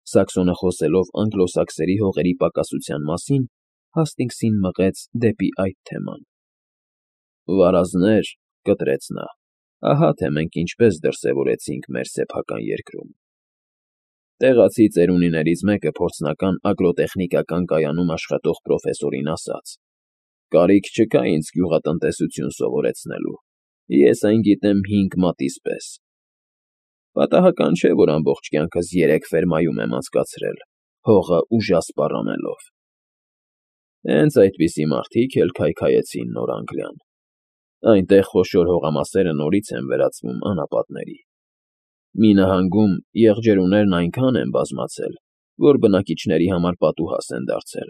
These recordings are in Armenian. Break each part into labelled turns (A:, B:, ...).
A: Սաքսոնը խոսելով անգլոսաքսերի հողերի պակասության մասին, Հաստինգսին մղեց դեպի այդ թեման։ Վարազներ, կտրեց նա, ահա թե մենք ինչպես դրսևորեցինք մեր սեփական երկրում։ Տեղացի ծերունիներից մեկը փորձնական ագրոտեխնիկական կայանում աշխատող պրոֆեսորին ասաց. «Կարիք չկա ինձ գյուղատնտեսություն սովորեցնելու, ես այն գիտեմ 5 մատից պես»։ Պատահական չէ, որ ամբողջ կյանքս 3 ֆերմայում եմ անցկացրել, հողը ուժասպառ անելով։ Հենց այդպիսի մարդիկ էլ քայքայեցին Նոր Անգլիան։ Այնտեղ խոշոր հողամասերը նորից են վերածվում անապատների։ Մի նահանգում եղջերուներն այնքան են բազմացել, որ բնակիչների համար պատուհաս են դարձել։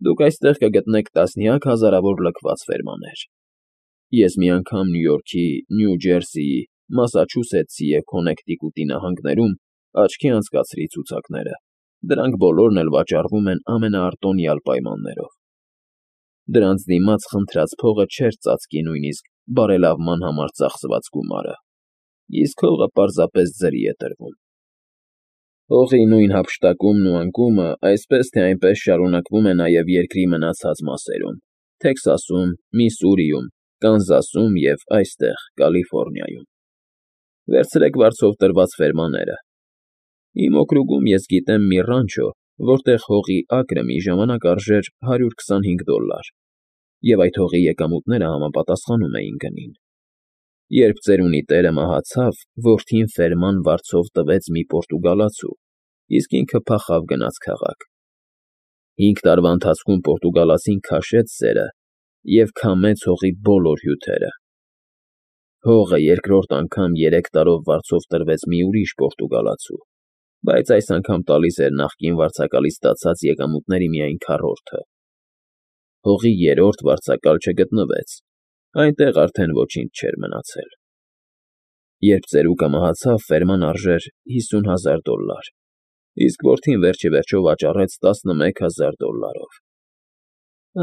A: Դուք այստեղ կգտնեք տասնյակ հազարավոր լքված ֆերմաներ։ Ես մի անգամ Նյու Յորքի, Նյու Ջերսիի, Մասաչուսեթսի և Քոննեկտիկուտի նահանգներում աչքի անցկացրի ցուցակները, դրանք բոլորն էլ վաճառվում են ամենաարտոնյալ պայմաններով։ Դրանց դիմաց խնդրած փողը չէր ծածկի նույնիսկ բարելավման համար ծախսված գումարը, իսկ հողը պարզապես ձրի է տրվում։ Հողի նույն հափշտակումն ու անկումը այսպես թե այնպես շարունակվում է նաև երկրի մնացած մասերում՝ Թեքսասում, Միսսուրիում, Կանզասում և այստեղ, Կալիֆոռնիայում։ Վերցրեք վարձով տրված ֆերմաները։ Իմ օկրուգում ես գիտեմ մի ռանչո, որտեղ հողի ակրը մի ժամանակ արժեր $125, և այդ հողի եկամուտները համապատասխանում էին գնին։ Երբ ծերունի տերը մահացավ, որդին ֆերման վարձով տվեց մի պորտուգալացու, իսկ ինքը փախավ գնաց քաղաք։ 5 տարվա ընթացքում պորտուգալացին քաշեց սերը և քամեց հողի բոլոր հյութերը։ Հողը երկրորդ անգամ 3 տարով վարձով տրվեց մի ուրիշ պորտուգալացու, բայց այս անգամ տալիս էր նախկին վարձակալից ստացած եկամուտների միայն քառորդը։ Հողի երրորդ վարձակալ չգտնվեց, այնտեղ արդեն ոչինչ չէր մնացել։ Երբ ծերուկը մահացավ, ֆերման արժեր $50,000, իսկ որդին վերջիվերջո վաճառեց $11,000։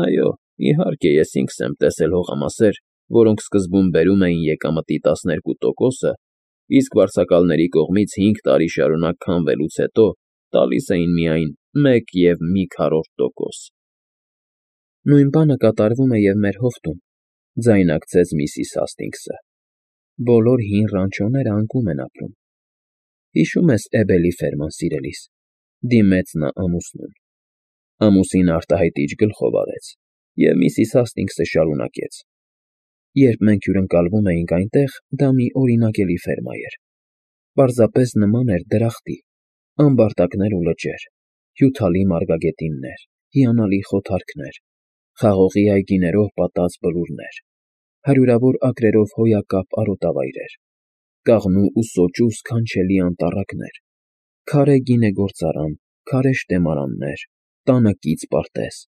A: Այո, իհարկե, ես ինքս եմ տեսել հողամասեր, որոնք սկզբում բերում էին եկամտի 12%, իսկ վարձակալների կողմից 5 տարի շարունակ քամվելուց հետո տալիս էին միայն 1,1%։ Նույն բանը կատարվում է և մեր հովտում, ձայնարկեց միսիս Հասթինգսը։ Բոլոր հին ռանչոները անկում են ապրում։ Հիշո՞ւմ ես Էբելի ֆերման, սիրելիս, դիմեց նա ամուսնուն։ Ամուսինը արտահայտիչ գլխով արեց, և միսիս Հասթինգսը շարունակեց. Երբ մենք հյուրընկալվում էինք այնտեղ, դա մի օրինակելի ֆերմա էր։ Պարզապես նման էր դրախտի, ամբարտակներ ու լճեր, հյութալի մարգագետիններ, հիանալի խոթարքներ, խաղողի այգիներով պատած բլուրներ, հարյուրավոր ակրերով հոյակապ արոտավայրեր, կաղնու ու սոճու սքանչելի անտառակներ, քարե գինեգործարան, քարե շտեմարաններ, տանը կից պարտեզ։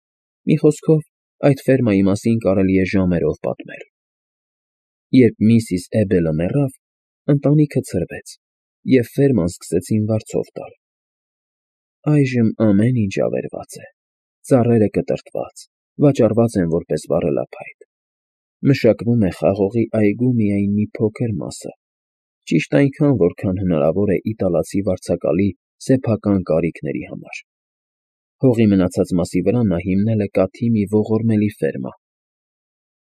A: Մի խոսքով, այդ ֆերմայի մասին կարելի է ժամերով պատմել։ Երբ միսիս Էբելը մեռավ, ընտանիքը ցրվեց, և ֆերման սկսեցին վարձով տալ։ Այժմ ամեն ինչ ավերված է, ծառերը կտրտված, վաճառված են որպես վառելափայտ։ Մշակվում է խաղողի այգու միայն մի փոքր մասը, ճիշտ այնքան, որքան հնարավոր է իտալացի վարձակալի սեփական կարիքների համար։ Հողի մնացած մասի վրա նա հիմնել է կաթի մի ողորմելի ֆերմա։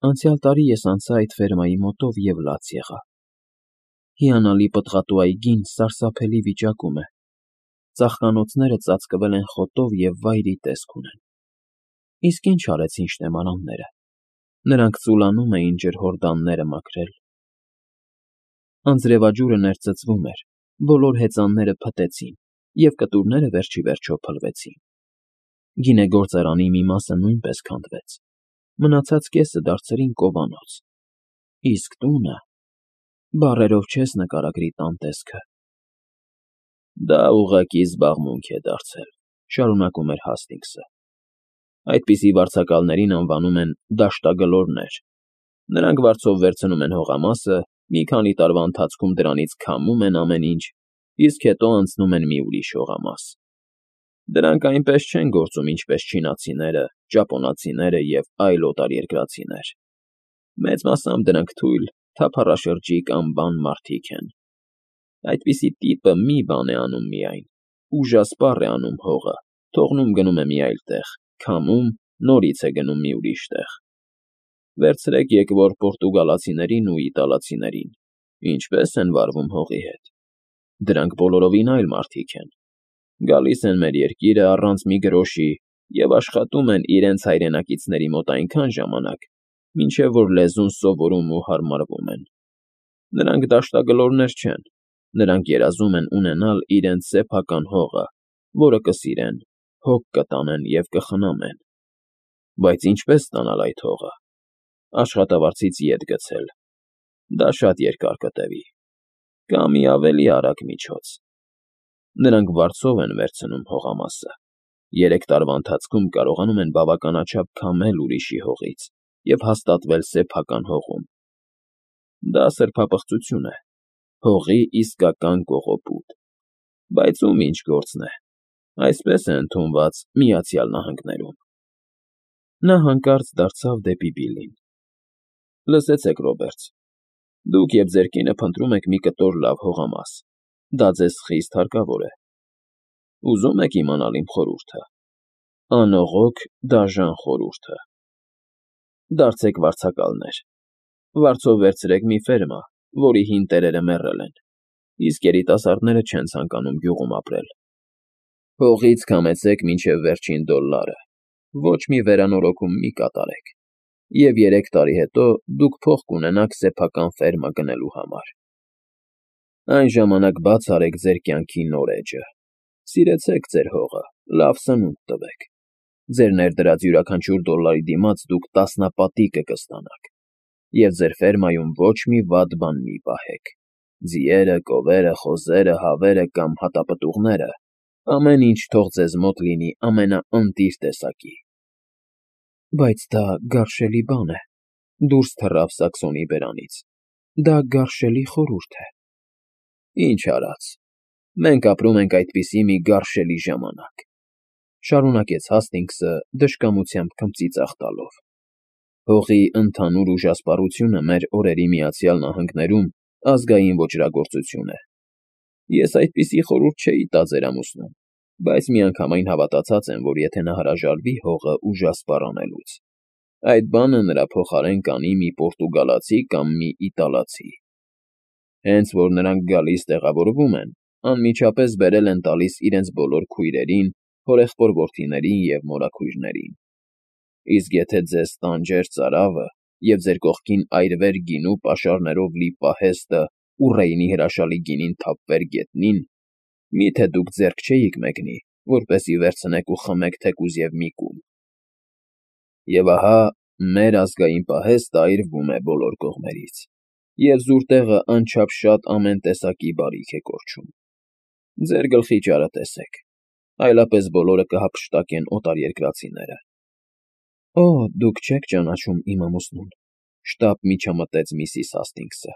A: Անցյալ տարի ես անցա այդ ֆերմայի մոտով և լաց եղա։ Հիանալի պտղատու այգին սարսափելի վիճակում է։ Ծաղկանոցները ծածկվել են խոտով և վայրի տեսք ունեն։ Իսկ ինչ արեցին շտեմարանները։ Նրանք ծուլանում էին ջրհորդանները մաքրել։ Անձրևաջուրը ներծծվում էր, բոլոր հեծանները փտեցին, և կտուրները վերջիվերջո փլվեցին։ Գինեգործարանի մի մասը նույնպես քանդվեց, մնացած կեսը դարձրին կովանոց։ Իսկ տունը… բառերով չես նկարագրի տան տեսքը։ Դա ուղղակի զբաղմունք է դարձել, շարունակում էր Հասթինգսը։ Այդպիսի վարձակալներին անվանում են դաշտագլորներ։ Նրանք վարձով վերցնում են հողամասը, մի քանի տարվա ընթացքում դրանից քամում են ամեն ինչ, իսկ հետո անցնում են մի ուրիշ հողամաս։ Դրանք այնպես չեն գործում, ինչպես չինացիները, ճապոնացիները և այլ օտարերկրացիներ։ Մեծ մասամբ դրանք թույլ, թափառաշրջիկ անբան մարդիկ են։ Այդպիսի տիպը մի բան է անում միայն, ուժասպառ է անում հողը, թողնում գնում է մի այլ տեղ, քամում, նորից է գնում մի ուրիշ տեղ։ Վերցրեք եկվոր պորտուգալացիներին ու իտալացիներին, ինչպես են վարվում հողի հետ։ Դրանք բոլորովին այլ մարդիկ են։ Գալիս են մեր երկիրը առանց մի գրոշի և աշխատում են իրենց հայրենակիցների մոտ այնքան ժամանակ, մինչև որ լեզուն սովորում ու հարմարվում են։ Նրանք դաշտագլորներ չեն, նրանք երազում են ունենալ իրենց սեփական հողը, որը կսիրեն, հոգ կտանեն և կխնամեն։ Բայց ինչպես ստանալ այդ հողը։ Աշխատավարձից ետ գցել։ Դա շատ երկար կտևի։ Կա մի ավելի արագ միջոց։ Նրանք վարձով են վերցնում հողամասը։ 3 տարվա ընթացքում կարողանում են բավականաչափ քամել ուրիշի հողից և հաստատվել սեփական հողում։ Դա սրբապղծություն է, հողի իսկական կողոպուտ։ Բայց ում ինչ գործն է։ Այսպես է ընդունված Միացյալ Նահանգներում։ Նա հանկարծ դարձավ դեպի Բիլլին։ Լսեցեք, Ռոբերտ, դուք և ձեր կինը փնտրում եք մի կտոր լավ հողամաս։ Դա ձեզ խիստ հարկավոր է։ Ուզում եք իմանալ իմ խորհուրդը։ Անողոք, դաժան խորհուրդը։ Դարձեք վարձակալներ։ Վարձով վերցրեք մի ֆերմա, որի հին տերերը մեռել են, իսկ երիտասարդները չեն ցանկանում գյուղում ապրել։ Հողից քամեցեք մինչև վերջին դոլլարը, ոչ մի վերանորոգում մի կատարեք, և 3 տարի հետո դուք փող կունենաք սեփական ֆերմա գնելու համար։ Այն ժամանակ բաց արեք ձեր կյանքի նոր էջը։ Սիրեցեք ձեր հողը, լավ սնունդ տվեք։ Ձեր ներդրած յուրաքանչյուր դոլարի դիմաց դուք տասնապատիկը կստանաք, և ձեր ֆերմայում ոչ մի վատ բան մի պահեք։ Ձիերը, կովերը, խոզերը, հավերը կամ հատապտուղները, ամեն ինչ թող ձեզ մոտ լինի ամենաընտիր տեսակի։ Բայց դա գարշելի բան է, դուրս թռավ Սաքսոնի բերանից։ Դա գարշելի խորհուրդ է։ Ինչ արած, մենք ապրում ենք այդպիսի մի գարշելի ժամանակ, շարունակեց Հասթինգսը դժկամությամբ քմծիծաղ տալով։ Հողի ընդհանուր ուժասպառությունը մեր օրերի Միացյալ Նահանգներում ազգային ոճրագործություն է։ Ես այդպիսի խորհուրդ չէի տա ձեր ամուսնուն, բայց միանգամայն հավատացած եմ, որ եթե նա հրաժարվի հողը ուժասպառ անելուց, այդ բանը նրա փոխարեն կանի մի պորտուգալացի կամ մի իտալացի։ Հենց որ նրանք գալիս տեղավորվում են, անմիջապես բերել են տալիս իրենց բոլոր քույրերին, հորեղբոր որդիներին և մորաքույրներին։ Իսկ եթե ձեզ տանջեր ծարավը և ձեր կողքին այրվեր գինու պաշարներով լի պահեստը ու Ռեյնի հրաշալի գինին թափվեր գետնին, մի՞թե դուք ձեռք չէիք մեկնի, որպեսզի վերցնեք ու խմեք թեկուզ և մի կում։ Եվ ահա մեր ազգային պահեստը այրվում է բոլոր կողմերից, և զուր տեղը անչափ շատ ամեն տեսակի բարիք է կորչում։ Ձեր գլխի ճարը տեսեք, այլապես բոլորը կհափշտակեն օտարերկրացիները։ Օ, դուք չեք ճանաչում իմ ամուսնուն, շտապ միջամտեց միսիս Հասթինգսը։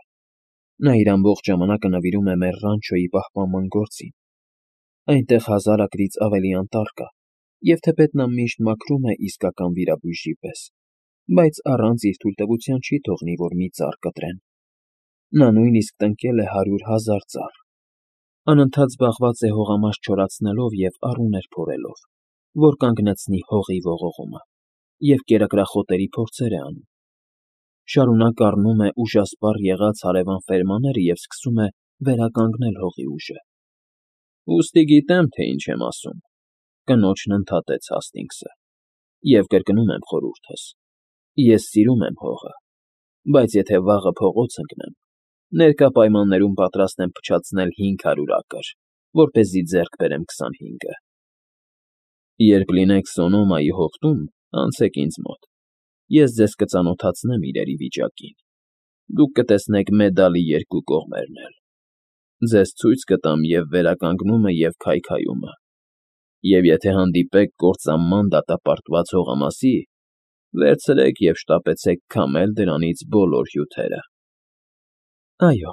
A: Նա իր ամբողջ ժամանակը նվիրում է մեր ռանչոյի պահպանման գործին։ Այնտեղ 1000 ակրից ավելի անտառ կա, և թեպետ նա միշտ մաքրում է իսկական վիրաբույժի պես, բայց առանց իր թույլտվության չի թողնի, որ մի ծառ կտրեն։ Նա նույնիսկ տնկել է 100,000 ծառ։ Անընդհատ զբաղված է հողամաս չորացնելով և առուներ փորելով, որ կանգնեցնի հողի ողողումը, և կերակրախոտերի փորձեր է անում։ Շարունակ առնում է ուժասպառ եղած հարևան ֆերմաները և սկսում է վերականգնել հողի ուժը։ Ուստի գիտեմ, թե ինչ եմ ասում, կնոջն ընդհատեց Հասթինգսը, և կրկնում եմ խորհուրդս. ես սիրում եմ հողը, բայց եթե վաղը փողոց ընկնեմ, ներկա պայմաններում պատրաստ եմ փչացնել 500 ակր, որպեսզի ձեռք բերեմ 25-ը։ Երբ լինեք Սոնոմայի հովտում, անցեք ինձ մոտ, ես ձեզ կծանոթացնեմ իրերի վիճակին, դուք կտեսնեք մեդալի երկու կողմերն էլ։ Ձեզ ցույց կտամ և վերականգնումը, և քայքայումը, և եթե հանդիպեք կործանման դատապարտված հողամասի, վերցրեք և շտապեցեք քամել դրանից բոլոր հյութերը։ Այո,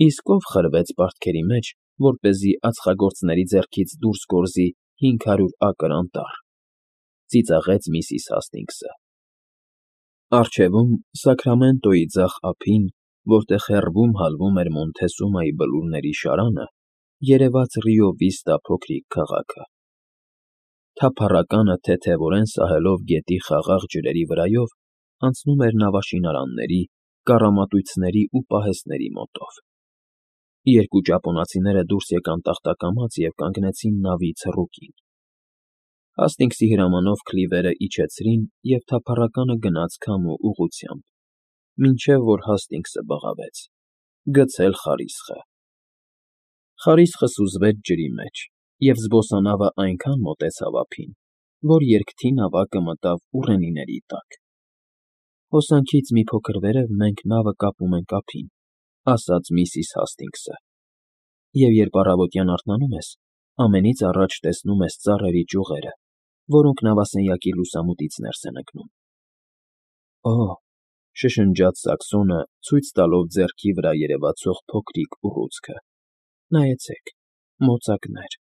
A: իսկ ով խրվեց պարտքերի մեջ, որպեսզի ածխագործների ձեռքից դուրս գորզի 500 ակր անտառ, ծիծաղեց միսիս Հասթինգսը։ Առջևում Սաքրամենտոյի ձախ ափին, որտեղ հեռվում հալվում էր Մոնթեսումայի բլուրների շարանը, երևաց Ռիո Վիստա փոքրիկ քաղաքը։ Թափառականը թեթևորեն սահելով գետի խաղաղ ջրերի վրայով, անցնում էր նավաշինարանների, կառամատույցների ու պահեստների մոտով։ Երկու ճապոնացիները դուրս եկան տախտակամած և կանգնեցին նավի ցռուկին։ Հասթինգսի հրամանով քլիվերը իջեցրին, և թափառականը գնաց քամու ուղղությամբ, մինչև որ Հասթինգսը բղավեց. «Գցել խարիսխը»։ Խարիսխը սուզվեց ջրի մեջ, և զբոսանավը այնքան մոտեցավ ափին, որ երկթի նավակը մտավ ուռենիների տակ։ «Հոսանքից մի փոքր վերև մենք նավը կապում ենք ափին», ֊ ասաց միսիս Հասթինգսը, «և երբ առավոտյան արթնանում ես, ամենից առաջ տեսնում ես ծառերի ճյուղերը, որոնք նավասենյակի լուսամուտից ներս են ընկնում»։ «Օ՜», շշնջաց Սակսոնը, ցույց տալով ձեռքի վրա երևացող փոքրիկ ուռուցքը, «նայեցեք, մոծակներ»։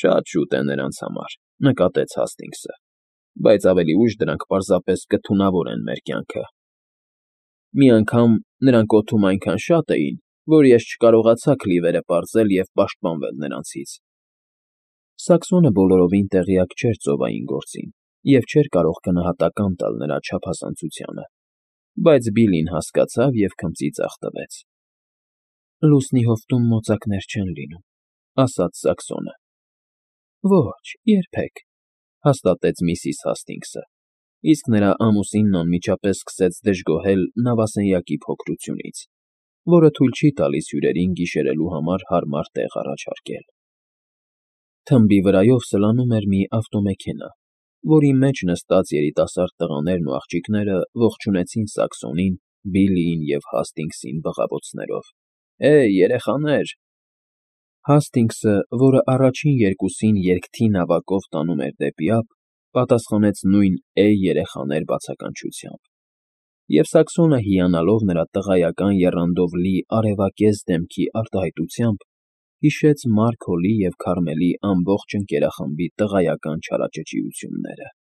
A: «Շատ շուտ է նրանց համար», ֊ նկատեց Հասթինգսը, «բայց ավելի ուշ դրանք պարզապես կթունավորեն մեր կյանքը»։ «Մի անգամ նրանք օդում այնքան շատ էին, որ ես չկարողացա քլիվերը պարզել և պաշտպանվել նրանցից»։ Սակսոնը բոլորովին տեղյակ չէր ծովային գործին և չէր կարող գնահատական տալ նրա չափազանցությանը, բայց Բիլլին հասկացավ և քմծիծաղ տվեց։ «Լուսնի հովտում մոծակներ չեն լինում», ֊ ասաց Սակսոնը։ «Ոչ, երբեք», ֊ հաստատեց միսիս Հասթինգսը, իսկ նրա ամուսինն անմիջապես սկսեց դժգոհել նավասենյակի փոքրությունից, որը թույլ չի տալիս հյուրերին գիշերելու համար հարմար տեղ առաջարկել։ Թմբի վրայով սլանում էր մի ավտոմեքենա, որի մեջ նստած երիտասարդ տղաներն ու աղջիկները ողջունեցին Սակսոնին, Բիլլիին և Հասթինգսին բղավոցներով. «Հեյ, երեխաներ»։ Հասթինգսը, որը առաջին երկուսին երկթի նավակով տանում էր դեպի ափ, պատասխանեց նույն «Էյ, երեխաներ» բացականչությամբ, և Սակսոնը, հիանալով նրա տղայական եռանդով լի արևակեզ դեմքի արտահայտությամբ, հիշեց Մարք Հոլի և Քարմելի ամբողջ ընկերախմբի տղայական չարաճճիությունները։